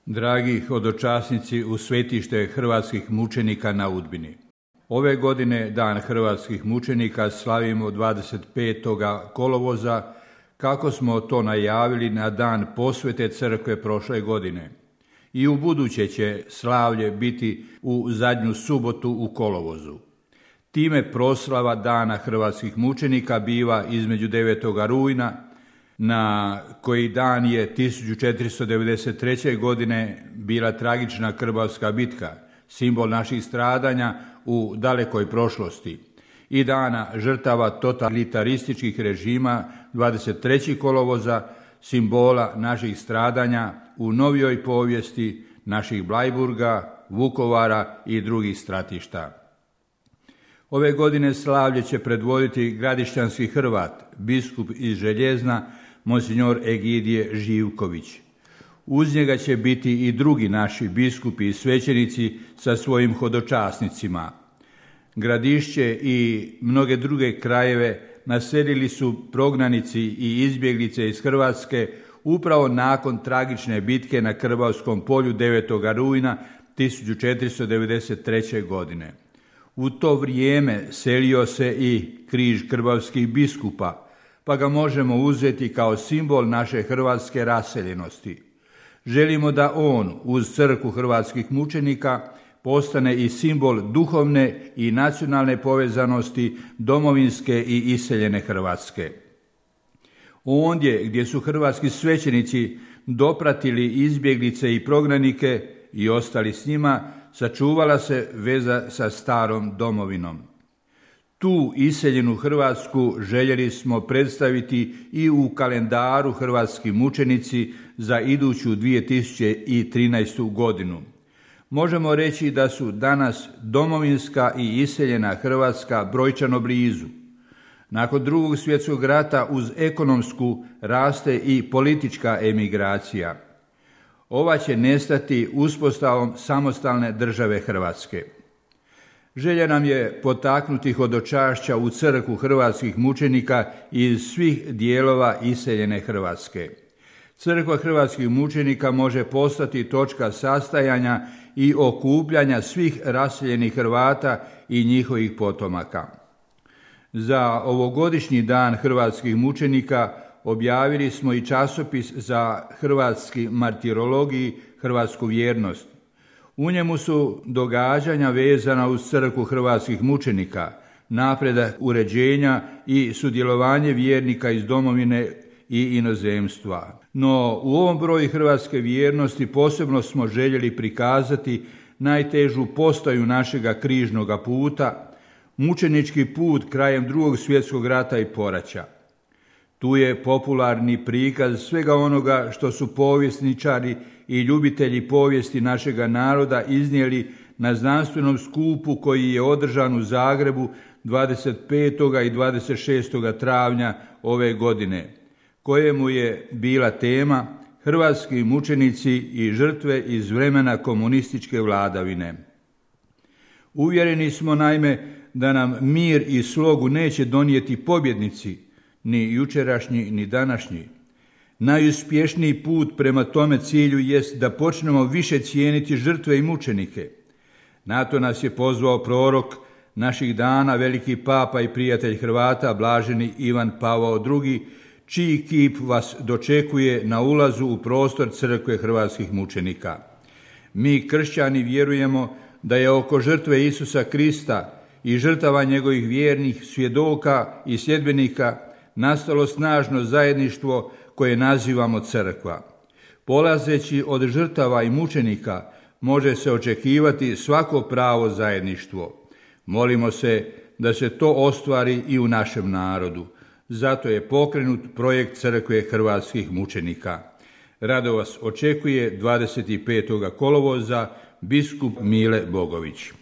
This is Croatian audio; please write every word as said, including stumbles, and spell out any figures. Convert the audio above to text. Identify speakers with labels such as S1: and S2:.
S1: Dragi hodočasnici u svetište hrvatskih mučenika na Udbini. Ove godine Dan hrvatskih mučenika slavimo dvadeset petog kolovoza, kako smo to najavili na dan posvete crkve prošle godine. I u buduće će slavlje biti u zadnju subotu u kolovozu. Time proslava Dana hrvatskih mučenika biva između devetog rujna, na koji dan je tisuću četiristo devedeset treće. godine bila tragična Krbavska bitka, simbol naših stradanja u dalekoj prošlosti, i dana žrtava totalitarističkih režima dvadeset trećeg kolovoza, simbola naših stradanja u novijoj povijesti naših Blajburga, Vukovara i drugih stratišta. Ove godine slavlje će predvoditi gradišćanski Hrvat, biskup iz Željezna, monsignor Egidije Živković. Uz njega će biti i drugi naši biskupi i svećenici sa svojim hodočasnicima. Gradišće i mnoge druge krajeve naselili su prognanici i izbjeglice iz Hrvatske upravo nakon tragične bitke na Krbavskom polju devetog rujna tisuću četiristo devedeset treće. godine. U to vrijeme selio se i križ krbavskih biskupa, pa ga možemo uzeti kao simbol naše hrvatske raseljenosti. Želimo da on, uz crkvu hrvatskih mučenika, postane i simbol duhovne i nacionalne povezanosti domovinske i iseljene Hrvatske. Ondje gdje su hrvatski svećenici dopratili izbjeglice i prognanike i ostali s njima, sačuvala se veza sa starom domovinom. Tu iseljenu Hrvatsku željeli smo predstaviti i u kalendaru hrvatski mučenici za iduću dvije tisuće trinaestu. godinu. Možemo reći da su danas domovinska i iseljena Hrvatska brojčano blizu. Nakon drugog svjetskog rata uz ekonomsku raste i politička emigracija. Ova će nestati uspostavom samostalne države Hrvatske. Želja nam je potaknuti hodočašća u crkvu hrvatskih mučenika iz svih dijelova iseljene Hrvatske. Crkva hrvatskih mučenika može postati točka sastajanja i okupljanja svih raseljenih Hrvata i njihovih potomaka. Za ovogodišnji Dan hrvatskih mučenika objavili smo i časopis za hrvatski martirologiji, hrvatsku vjernost. U njemu su događanja vezana uz crkvu hrvatskih mučenika, napredak uređenja i sudjelovanje vjernika iz domovine i inozemstva. No u ovom broju hrvatske vjernosti posebno smo željeli prikazati najtežu postaju našega križnoga puta, mučenički put krajem drugog svjetskog rata i poraća. Tu je popularni prikaz svega onoga što su povjesničari i ljubitelji povijesti našega naroda iznijeli na znanstvenom skupu koji je održan u Zagrebu dvadeset petog i dvadeset šestog travnja ove godine, kojemu je bila tema Hrvatski mučenici i žrtve iz vremena komunističke vladavine. Uvjereni smo naime da nam mir i slogu neće donijeti pobjednici, ni jučerašnji ni današnji. Najuspješniji put prema tome cilju jest da počnemo više cijeniti žrtve i mučenike. Na to nas je pozvao prorok naših dana, veliki papa i prijatelj Hrvata, blaženi Ivan Pavao drugi, čiji kip vas dočekuje na ulazu u prostor crkve hrvatskih mučenika. Mi kršćani vjerujemo da je oko žrtve Isusa Krista i žrtava njegovih vjernih svjedoka i sljedbenika nastalo snažno zajedništvo koje nazivamo crkva. Polazeći od žrtava i mučenika može se očekivati svako pravo zajedništvo. Molimo se da se to ostvari i u našem narodu. Zato je pokrenut projekt crkve hrvatskih mučenika. Rado vas očekuje dvadeset petog kolovoza biskup Mile Bogović.